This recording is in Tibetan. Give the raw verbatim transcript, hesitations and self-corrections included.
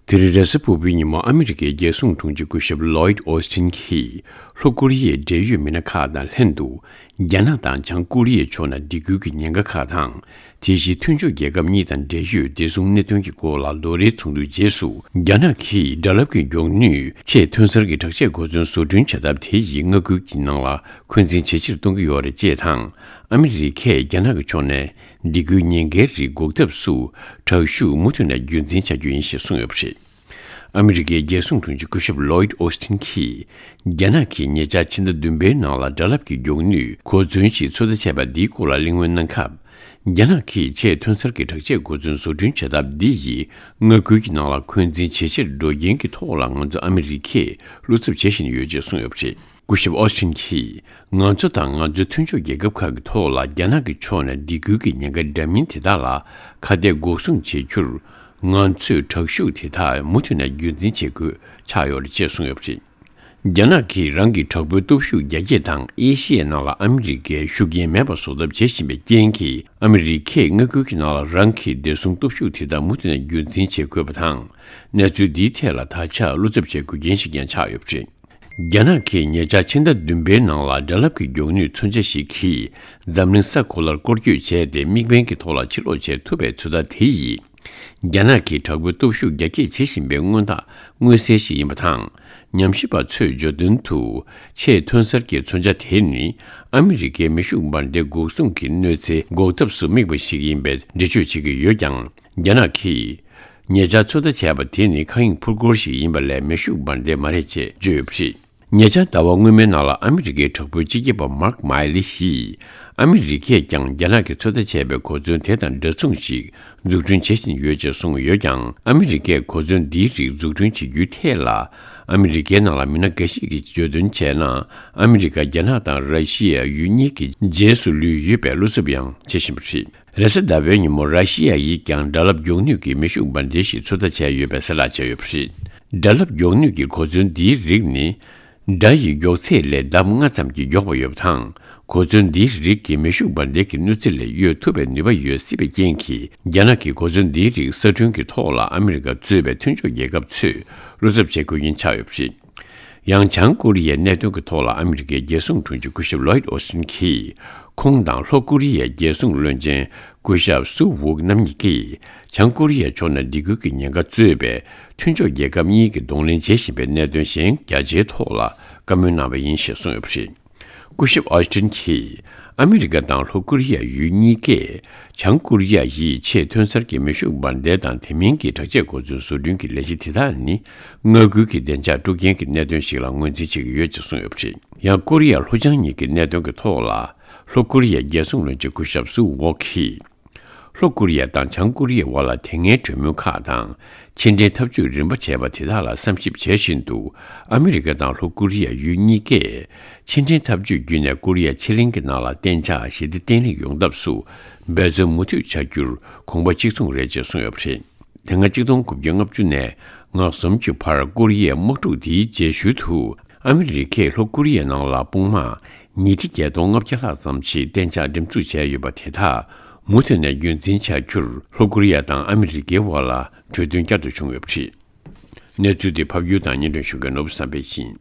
དེ་རིང་རེས་གཟའ་ཕུར་བུའི་ཉིན་མོ་ཨ་མི་རི་ཀའི་རྒྱལ་སྲུང་དྲུང་ཆེ་སྐུ་ཞབས་ལོའིད་ཨོ་སི་ཊིན་གྱིས་ལྷོ་ཀོ་རི་ཡའི་འབྲེལ་ཡོད་མི་སྣ་ཁག་དང་ལྷན་དུ། རྒྱ་ནག་དང་བྱང་ཀོ་རི་ཡའི་ཕྱོགས་ནས་སྡིགས་སྐུལ་གྱི་ཉེན་ཁ་ཁག་དང་། དེ་བཞིན་མཐུན་ཕྱོགས་རྒྱལ་ཁབ་གཉིས་དང་འབྲེལ་ཡོད་བདེ་སྲུང་གནད་དོན་གྱི་སྐོར་ལ་ལོ་རེའི་ཚོགས་འདུའི་རྗེས་སུ། རྒྱ་ནག་གིས་སྒྲ་རླབས་ཀྱི་མགྱོགས་ནུས་ཆེས་ཐོན་གསར་གྱི་དྲག་ཆས་གོ་མཚོན་བཟོ་སྐྲུན་བྱ་ཐབས་དེ་ཡིས་མངའ་ཁུལ་གྱི་ནང་ལ་འཁོན་འཛིན་ཇེ་ཆེར་གཏོང་གི་ཡོད་རེད་ཅེས་དང་། ཨ་མི་རི་ཀས་རྒྱ་ནག་གི་ཕྱོགས་ནས་སྡིགས་སྐུལ་ཉེན་ཁའི་རིགས་འགོག་ཐབས་སུ་དྲག་ཤུགས་མུ་མཐུད་ནས་རྒྱུན་འཛིན་བྱ་རྒྱུ་ཡིན་ཞེས་གསུངས་ཡོད་པ་རེད། ཨ་མི་རི་ཀའི་རྒྱལ་སྲུང་དྲུང་ཆེ་སྐུ་ཞབས་ལོའིད་ཨོ་སི་ཊིན་གྱིས། རྒྱ་ནག་གིས་ཉེ་ཆར་ཕྱི་ཟླ་བདུན་པའི་ནང་ལ་སྒྲ་རླབས་ཀྱི་མགྱོགས་ནུས་གོ་མཚོན་ཞིག་ཚོད་ལྟ་བྱས་པ་འདིའི་སྐོར་ལ་གླེང་མོལ་གནང་སྐབས། རྒྱ་ནག་གིས་ཆེས་ཐོན་གསར་གྱི་དྲག་ཆས་གོ་མཚོན་བཟོ་སྐྲུན་བྱ་ཐབས་འདི་ཡིས་མངའ་ཁུལ་གྱི་ནང་ལ་འཁོན་འཛིན་ཇེ་ཆེར་འགྲོ་རྐྱེན་གྱི་ཐོག་ལ་ང་ཚོ་ཨ་མི་རི་ཀས་བློ་འཚབ་བྱེད་བཞིན་ཡོད་ཅེས་གསུངས་ཡོད་པ་རེད། སྐུ་ཞབས་ཨོ་སི་ཊིན་གྱིས། ང་ཚོ་དང་ང་ཚོའི་མཐུན་ཕྱོགས་རྒྱལ་ཁབ་ཁག་གི་ཐོག་ལ་རྒྱ་ནག་གི་ཕྱོགས་ནས་སྡིགས་སྐུལ་གྱི་ཉེན་ཁ་འདྲ་མིན་དེ་དག་ལ་ཁ་གཏད་འགོག་སྲུང་བྱེད་རྒྱུར། ང་ཚོས་དྲག་ཤུགས་དེ་དག་མུ་མཐུད་ནས་རྒྱུན་འཛིན་བྱེད་དགོས་ཆགས་ཡོད་རེད་ཅེས་གསུངས་ཡོད་པ་རེད། རྒྱ་ནག་གིས་རང་གི་དྲག་པོའི་སྟོབས་ཤུགས་རྒྱ་སྐྱེད་དང་ཨེ་ཤི་ཡའི་ནང་ལ་ཨ་མི་རི་ཀའི་ཤུགས་རྐྱེན་མེད་པ་བཟོ་ཐབས་བྱེད་བཞིན་པའི་རྐྱེན་གྱིས། ཨ་མི་རི་ཀས་མངའ་ཁུལ་གྱི་ནང་ལ་རང་གི་བདེ་སྲུང་སྟོབས་ཤུགས་དེ་དག་མུ་མཐུད་ནས་རྒྱུན་འཛིན་བྱེད་དགོས་པ་དང་། གནས་ཚུལ་འདིའི་ཐད་ལ་ད་ཆ་བློ་འཚབ་བྱེད་དགོས་རྐྱེན་ཞིག་ཀྱང་ཆགས་ཡོད་པ་རེད། རྒྱ་ནག་གིས་ཉེ་ཆར་ཕྱི་ཟླ་བདུན་པའི་ནང་ལ་སྒྲ་རླབས་ཀྱི་མགྱོགས་ནུས་མཚོན་ཆ་ཞིག་གིས་འཛམ་གླིང་ས་གོ་ལར་སྐོར་སྐྱོད་བྱས་ཏེ་དམིགས་འབེན་གྱི་ཐོག་ལ་ཕྱིར་ལོག་བྱེད་ཐུབ་པའི་ཚོད་ལྟ་དེ་ཡིས། རྒྱ་ནག་གིས་དྲག་པོའི་སྟོབས་ཤུགས་རྒྱ་སྐྱེད་བྱེད་བཞིན་པའི་མངོན་རྟགས་མངོན་གསལ་ཞིག་ཡིན་པ་དང་། ཉམས་ཞིབ་པ་ཚོས་བརྗོད་དོན་དུ། ཆེས་ཐོན་གསར་གྱི་མཚོན་ཆ་དེ་ནི། ཨ་མི་རི་ཀའི་མེ་ཤུགས་འབར་མདེལ་འགོག་སྲུང་གི་གནོད་འཚེ་འགོག་ཐབས་སུ་དམིགས་པ་ཞིག་ཡིན་པའི་འགྲེལ་བརྗོད་བྱེད་ཀྱི་ཡོད་ཀྱང་། རྒྱ་ནག་གིས། ཉེ་ཆར་ཚོད་ལྟ་བྱས་པ་དེ་ནི་མཁའ་དབྱིངས་འཕུར་འཁོར་ཞིག་ཡིན་པ་ལས་མེ་ཤུགས་འབར་མདེལ་མ་རེད་ཅེས་བརྗོད་ཡོད་པ་རེད། ཉེ་ཆར་ཟླ་བ་སྔོན་མའི་ནང་ལ་ཨ་མི་རི་ཀའི་དྲག་པོའི་སྤྱི་ཁྱབ་པ་མཱརྐ་མཱེ་ལི་ཡིས། ཨ་མི་རི་ཀས་ཀྱང་རྒྱ་ནག་གིས་ཚོད་ལྟ་བྱས་པའི་གོ་མཚོན་དེ་དང་འདྲ་མཚུངས་ཤིག་འཛུགས་སྐྲུན་བྱེད་བཞིན་ཡོད་ཅེས་གསུངས་ཡོད་ཀྱང་། ཨ་མི་རི་ཀས་གོ་མཚོན་འདིའི་རིགས་འཛུགས་སྐྲུན་བྱེད་རྒྱུའི་ཐད་ལ། ཨ་མི་རི་ཀའི་ནང་ལ་མི་སྣ་འགའ་ཞིག་གིས་བརྗོད་དོན་བྱས་ན། ཨ་མི་རི་ཀ་རྒྱ་ནག་དང་ར་ཤི་ཡ་ཡུལ་གཉིས་ཀྱི་རྗེས་སུ་ལུས་ཡོད་པའི་བློ་འཚབ་ཡང་བྱེད་བཞིན་པ་རེད། རེས་གཟའ་ཟླ་བའི་ཉིན་མོ་ར་ཤི་ཡ་ཡིས་ཀྱང་སྒྲ་རླབས་མགྱོགས་ནུས་ཀྱི་མེ་ཤུགས་འབར་མདེལ་ཞིག་ཚོད་ལྟ་བྱས་ཡོད་པའི་གསལ་བསྒྲགས་བྱས་ཡོད་པ་རེད། སྒྲ་རླབས་མགྱོགས་ནུས་ཀྱི་གོ་མཚོན་འདིའི་རིགས་ནི། སྒྲ་ཡི་མགྱོགས་ཚད་ལས་ལྡབ་ལྔ་ཙམ་གྱིས་མགྱོགས་པ་ཡོད་པ་དང་། གོ་མཚོན་འདིའི་རིགས་ཀྱི་མེ་ཤུགས་འབར་མདེལ་གྱི་གནོད་འཚེ་ལས་གཡོལ་ཐུབ་པའི་ནུས་པ་ཡོད་སྲིད་པའི་རྐྱེན་གྱིས། རྒྱ་ནག་གིས་གོ་མཚོན་འདིའི་རིགས་གསར་སྐྲུན་གྱི་ཐོག་ལ་ཨ་མི་རི་ཀ་གཙོས་པའི་མཐུན་ཕྱོགས་རྒྱལ་ཁབ་ཚོས་བློ་འཚབ་བྱེད་དགོས་ཀྱིན་ཆགས་ཡོད་པ་རེད། ཡང་བྱང་ཀོ་རི་ཡའི་གནད་དོན་གྱི་ཐོག་ལ་ཨ་མི་རི་ཀའི་རྒྱལ་སྲུང་དྲུང་ཆེ་སྐུ་ཞབས་ལོའིད་ཨོ་སི་ཊིན་གྱིས། ཁོང་དང་ལྷོ་ཀོ་རི་ཡའི་རྒྱལ་སྲུང་བློན་ཆེན་སྐུ་ཞབས་སུའུ་ཝུག་རྣམ་གཉིས་ཀྱིས། བྱང་ཀོ་རི་ཡའི་ཕྱོགས་ནས་སྡིགས་སྐུལ་གྱི་ཉེན་ཁ་གཙོས་པའི་མཐུན་ཕྱོགས་རྒྱལ་ཁབ་གཉིས་ཀྱིས་གདོང་ལེན་བྱེད་བཞིན་པའི་གནད་དོན་གཞན་རྒྱ་ཆེའི་ཐོག་ལ་བཀའ་མོལ་གནང་བ་ཡིན་ཞེས་གསུངས་ཡོད་པ་རེད། སྐུ་ཞབས་ཨོ་སི་ཊིན་གྱིས། ཨ་མི་རི་ཀ་དང་ལྷོ་ཀོ་རི་ཡ་ཡུལ་གཉིས་ཀས། བྱང་ཀོ་རི་ཡ་ཡིས་ཆེས་ཐོན་གསར་གྱི་མེ་ཤུགས་འབར་མདེལ་དང་དེ་མིན་གྱི་དྲག་ཆས་གོ་མཚོན་བཟོ་སྐྲུན་གྱི་ལས་གཞི་དེ་དག་ནི། མངའ་ཁུལ་གྱི་བདེ་འཇགས་དཀྲུག་རྐྱེན་གྱི་གནད་དོན་ཞིག་ལ་ངོས་འཛིན་བྱེད་ཀྱི་ཡོད་ཅེས་གསུངས་ཡོད་པ་རེད། ཡང་ཀོ་རི་ཡ་ལྷོ་བྱང་གཉིས་ཀྱི་གནད་དོན་གྱི་ཐོག་ལ། ལྷོ་ཀོ་རི་ཡའི་རྒྱལ་སྲུང་བློན་ཆེན་སྐུ་ཞབས་སུའུ་ཝོག་གིས། ལྷོ་ཀོ་རི་ཡ་དང་བྱང་ཀོ་རི་ཡའི་དབར་ལ་དེ་སྔའི་གྲོས་མོལ་ཁག་དང་། ཕྱི་འབྲེལ་འཐབ་ཇུས་རིམ་པ་བྱས་པ་དེ་དག་ལ་བསམ་ཞིབ་བྱེད་བཞིན་དུ། ཨ་མི་རི་ཀ་དང་ལྷོ་ཀོ་རི་ཡ་ཡུལ་གཉིས་ཀས། ཕྱི་འབྲེལ་འཐབ་ཇུས་བརྒྱུད་ནས་ཀོ་རི་ཡ་ཕྱེད་གླིང་གི་ནང་ལ་གཏན་འཇགས་ཞི་བདེ་བརྟན་ལྷིང་ཡོང་ཐབས་སུ། འབད་བརྩོན་མུ་མཐུད་བྱ་རྒྱུར་དགོངས་པ་གཅིག་མཚུངས་རེད་ཅེས་གསུངས་ཡོད་པ་རེད། དེ་སྔ་ཆིག་སྟོང་དགུ་བརྒྱ་ལྔ་བཅུ་ནས་ང་གསུམ་གྱི་བར་ཀོ་རི་ཡའི་དམག་འཁྲུག་དེའི་རྗེས་ཤུལ་དུ། ཨ་མི་རི་ཀས་ལྷོ་ཀོ་རི་ཡའི་ནང་ལ་དཔུང་དམག་ཉིས་ཁྲི་བརྒྱད་སྟོང་ལྔ་བརྒྱ་ལྷག་ཙམ་ཞིག་གཏན་འཇགས་འགྲེམས་འཛུགས་བྱས་ཡོད་པ་དེ་དག་མུ་མཐུད་ནས་རྒྱུན་འཛིན་བྱ་རྒྱུར་ལྷོ་ཀོ་རི་ཡ་དང་ཨ་མི་རི་ཀའི་དབར་ལ་གྲོས་མཐུན་བསྐྱར་དུ་བྱུང་ཡོད་པ་རེད། གནས་ཚུལ་དེ་ཕབ་སྒྱུར་དང་སྙན་སྒྲོན་ཞུ་མཁན་ནོར་བུ་བསམ་འཕེལ་ཡིན།